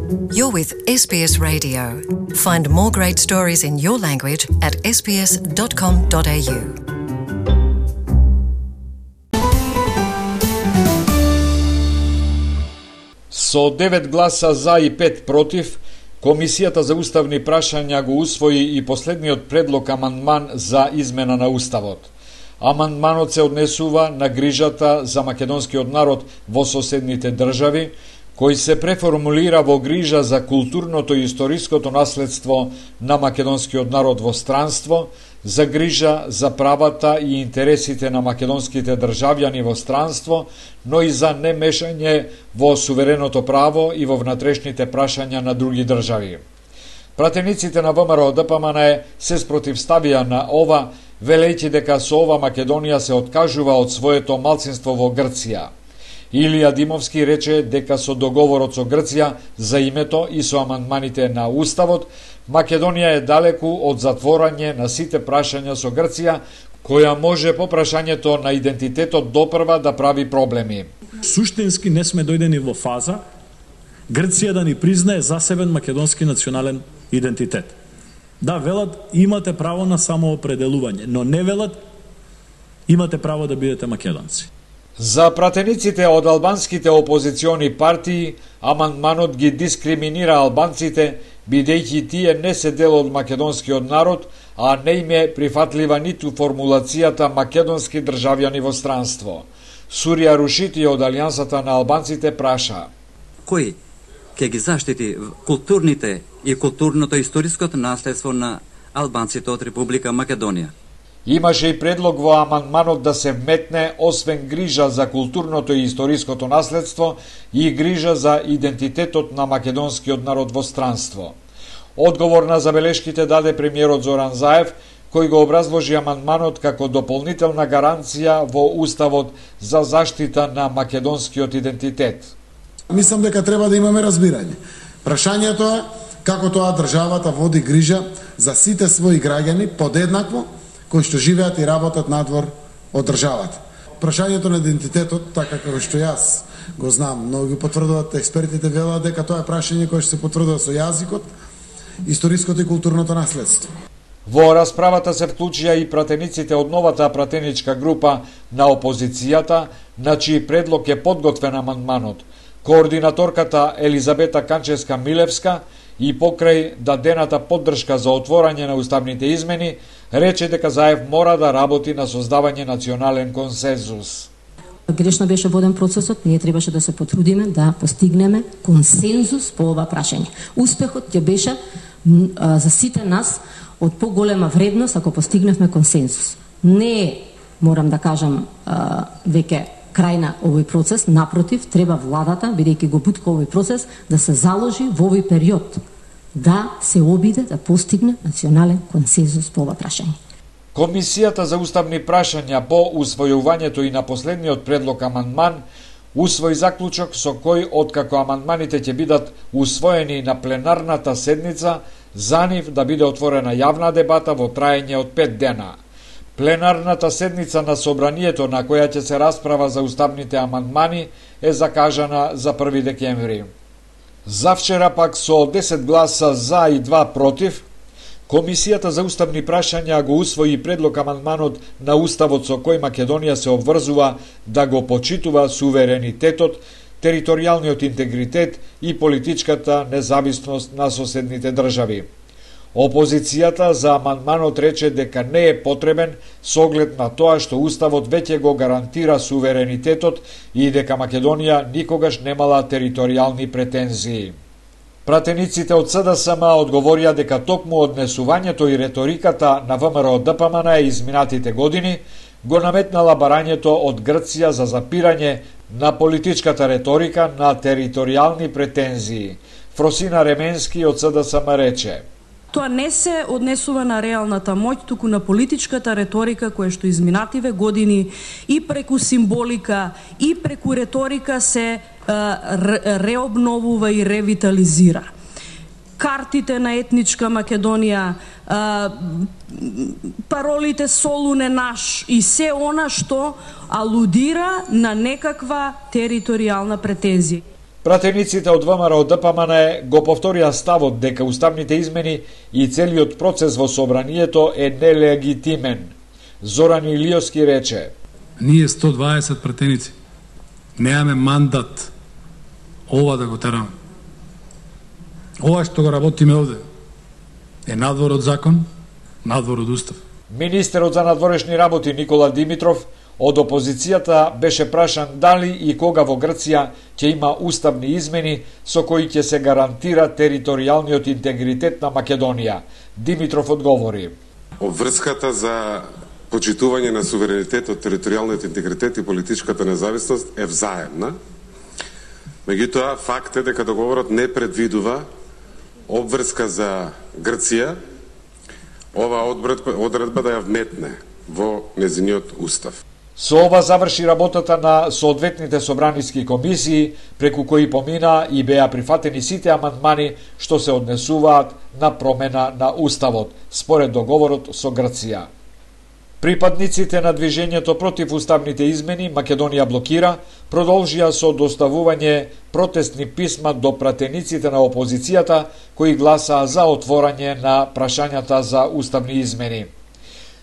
You're with SBS Radio. Find more great stories in your language at sbs.com.au. Со 9 гласа за и 5 против, Комисијата за уставни прашања го усвои и последниот предлог амандман за измена на Уставот. Амандманот се однесува на грижата за македонскиот народ во соседните држави, кој се преформулира во грижа за културното и историското наследство на македонскиот народ во странство, за грижа за правата и интересите на македонските државјани во странство, но и за немешање во сувереното право и во внатрешните прашања на други држави. Пратениците на ВМРО-ДПМН се спротивставија на ова, велејќи дека со ова Македонија се откажува од своето малцинство во Грција. Илија Димовски рече дека со договорот со Грција за името и со амандманите на Уставот, Македонија е далеку од затворање на сите прашања со Грција, која може по прашањето на идентитетот допрва да прави проблеми. Суштински не сме дојдени во фаза Грција да ни признае засебен македонски национален идентитет. Да, велат имате право на самоопределување, но не велат имате право да бидете македонци. За пратениците од албанските опозициони партии, амандманот ги дискриминира албанците, бидејќи тие не се дел од македонскиот народ, а не им е прифатлива ниту формулацијата македонски државјани во странство. Сурија Рушити од Алијансата на албанците праша: кој ќе ги заштити културните и културното историското наследство на албанците од Република Македонија? Имаше и предлог во амандманот да се вметне, освен грижа за културното и историското наследство, и грижа за идентитетот на македонскиот народ во странство. Одговор на забелешките даде премиерот Зоран Заев, кој го образложи амандманот како дополнителна гаранција во Уставот за заштита на македонскиот идентитет. Мислам дека треба да имаме разбирање. Прашањето е како тоа државата води грижа за сите своји граѓани подеднакво, кои што живеат и работат надвор од државата. Прашањето на идентитетот, така како што јас го знам, но ги потврдуваат експертите, велат дека тоа е прашање кое што се потврдува со јазикот, историското и културното наследство. Во расправата се вклучија и пратениците од новата пратеничка група на опозицијата, на чиј предлог е подготвен амандманот. Координаторката Елизабета Канчевска-Милевска и покрај дадената поддршка за отворање на уставните измени, рече дека Заев мора да работи на создавање национален консензус. Грешно беше воден процесот, ние требаше да се потрудиме да постигнеме консензус по ова прашање. Успехот ќе беше за сите нас од поголема вредност ако постигневме консензус. Не морам да кажам веќе крај на овој процес, напротив, треба владата, бидејќи го бутка овој процес, да се заложи во овој период, да се обиде да постигне национален консензус по ова прашање. Комисијата за уставни прашања по усвојувањето и на последниот предлог амандман усвои заклучок со кој, откако амандманите ќе бидат усвоени на пленарната седница, за нив да биде отворена јавна дебата во траење од 5 дена. Пленарната седница на собранието на која ќе се расправа за уставните амандмани е закажана за 1 декември. Завчера пак со 10 гласа за и 2 против, Комисијата за уставни прашања го усвои предлог амандманот на Уставот со кој Македонија се обврзува да го почитува суверенитетот, територијалниот интегритет и политичката независност на соседните држави. Опозицијата за амандманот рече дека не е потребен со оглед на тоа што Уставот веќе го гарантира суверенитетот и дека Македонија никогаш немала територијални претензии. Пратениците од СДСМ одговорија дека токму однесувањето и реториката на ВМРО-ДПМН изминатите години го наметнала барањето од Грција за запирање на политичката реторика на територијални претензии. Фросина Ременски од СДСМ рече: Тоа не се однесува на реалната моќ, туку на политичката реторика која што изминативе години и преку символика и преку реторика се реобновува и ревитализира. Картите на етничка Македонија, паролите Солуне наш и се она што алудира на некаква територијална претензија. Пратениците од ВМРО ДПМН го повторија ставот дека уставните измени и целиот процес во собранието е нелегитимен. Зоран Илиовски рече: Ние 120 пратеници немаме мандат ова да го тераме. Ова што го работиме овде е надвор од закон, надвор од устав. Министерот за надворешни работи Никола Димитров од опозицијата беше прашан дали и кога во Грција ќе има уставни измени со кои ќе се гарантира територијалниот интегритет на Македонија. Димитров одговори: Обврската за почитување на суверенитетот, територијалниот интегритет и политичката независност е взаемна. Меѓутоа, факт е дека договорот не предвидува обврска за Грција ова одредба да ја вметне во незиниот устав. Со ова заврши работата на соодветните собраниски комисии, преку кои помина и беа прифатени сите амандмани што се однесуваат на промена на уставот, според договорот со Грција. Припадниците на движењето против уставните измени Македонија блокира продолжија со доставување протестни писма до пратениците на опозицијата кои гласаа за отворање на прашањата за уставни измени.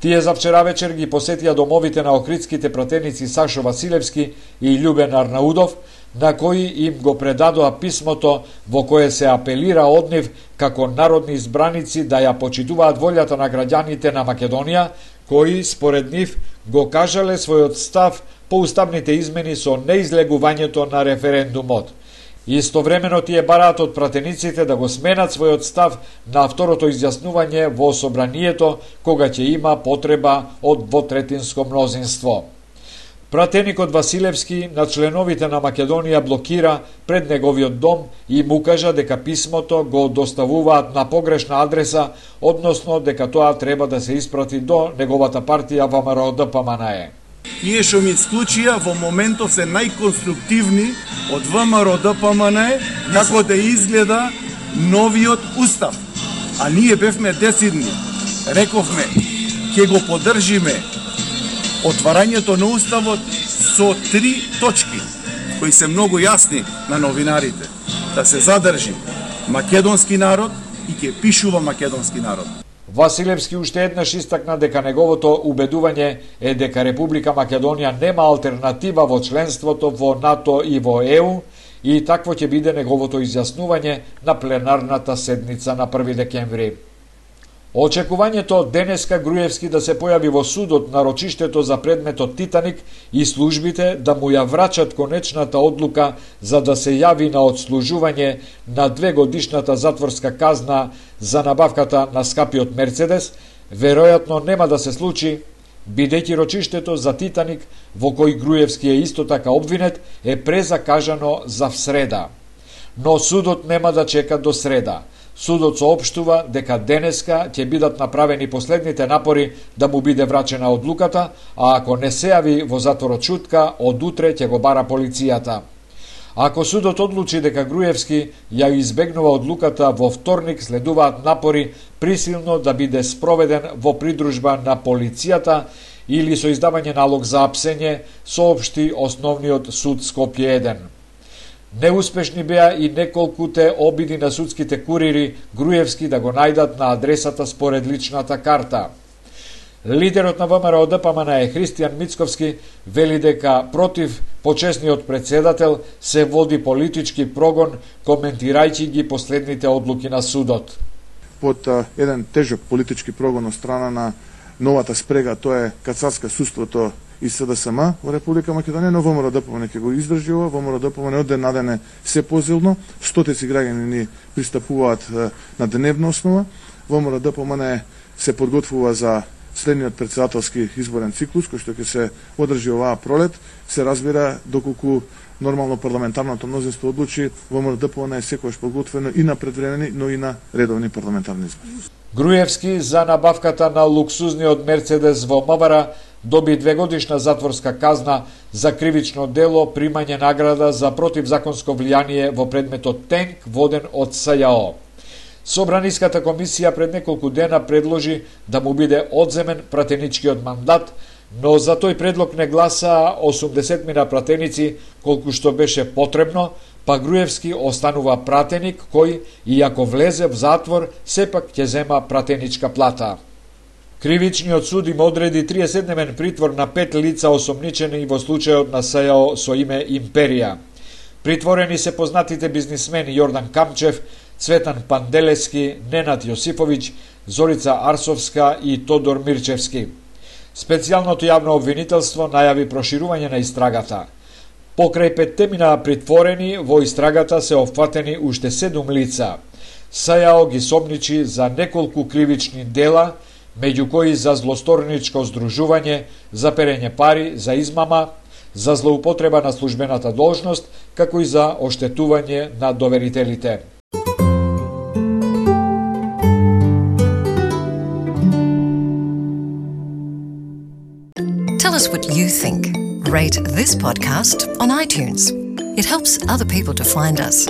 Тие за вчера вечер ги посетија домовите на охридските пратеници Сашо Василевски и Љубен Арнаудов, на кои им го предадоа писмото во кое се апелира од нив како народни избраници да ја почитуваат волјата на граѓаните на Македонија, кои, според нив, го кажале својот став по уставните измени со неизлегувањето на референдумот. Истовремено тие бараат од пратениците да го сменат својот став на второто изјаснување во собранието, кога ќе има потреба од двотретинско мнозинство. Пратеникот Василевски на членовите на Македонија блокира пред неговиот дом и му кажа дека писмото го доставуваат на погрешна адреса, односно дека тоа треба да се испрати до неговата партија ВМРО ДПМН. Тие што ми исклучија во моментов се најконструктивни од ВМРО ДПМН како да изгледа новиот устав. А ние бевме десидни. Рековме, ќе го поддржиме отварањето на уставот со 3 точки, кои се многу јасни на новинарите. Да се задржи македонски народ и ќе пишува македонски народ. Василевски уште еднаш истакна дека неговото убедување е дека Република Македонија нема алтернатива во членството во НАТО и во ЕУ и такво ќе биде неговото изјаснување на пленарната седница на 1 декември. Очекувањето денеска Груевски да се појави во судот на рочиштето за предметот Титаник и службите да му ја врачат конечната одлука за да се јави на отслужување на 2-годишната затворска казна за набавката на скапиот Мерцедес, веројатно нема да се случи, бидејќи рочиштето за Титаник, во кој Груевски е исто така обвинет, е презакажано за среда. Но судот нема да чека до среда. Судот соопштува дека денеска ќе бидат направени последните напори да му биде врачена одлуката, а ако не се јави во затворот шутка, од утре ќе го бара полицијата. Ако судот одлучи дека Груевски ја избегнува одлуката, во вторник следуваат напори присилно да биде спроведен во придружба на полицијата или со издавање налог за апсење, соопшти Основниот суд Скопје 1. Неуспешни беа и неколкуте обиди на судските курири Груевски да го најдат на адресата според личната карта. Лидерот на ВМРО ДПМН Христијан Мицковски вели дека против почесниот председател се води политички прогон, коментирајќи ги последните одлуки на судот. Под еден тежок политички прогон од страна на новата спрега, тоа е кацарска судството и СДСМ во Република Македонија, но ВМРО ДПМН ќе го издржи ова. ВМРО ДПМН од ден на ден е се позилно, стотици граѓани ни пристапуваат на дневна основа. ВМРО ДПМН се подготвува за следниот председателски изборен циклус, кој што ќе се одржи оваа пролет. Се разбира, доколку нормално парламентарното мнозинство одлучи, ВМРО ДПМН е секојаш подготвено и на предвремени, но и на редовни парламентарни избори. Груевски за набавката на луксузниот Мерцедес во МВР доби 2-годишна затворска казна за кривично дело примање награда за противзаконско влијание во предметот тенк воден од СЈО. Собраниската комисија пред неколку дена предложи да му биде одземен пратеничкиот мандат, но за тој предлог не гласаа 80 пратеници, колку што беше потребно, па Груевски останува пратеник кој, иако влезе в затвор, сепак ќе зема пратеничка плата. Кривичниот суд им одреди 30-дневен притвор на 5 лица осомничени во случајот на СЈО со име Империја. Притворени се познатите бизнисмени Јордан Камчев, Цветан Панделески, Ненад Јосифовиќ, Зорица Арсовска и Тодор Мирчевски. Специјалното јавно обвинителство најави проширување на истрагата. Покрај 5 мина притворени, во истрагата се опфатени уште 7 лица. СЈО ги сомничи за неколку кривични дела, меѓу кои за злосторничко здружување, за перење пари, за измама, за злоупотреба на службената должност, како и за оштетување на доверителите. Tell us what you think. Rate this podcast on iTunes. It helps other people to find us.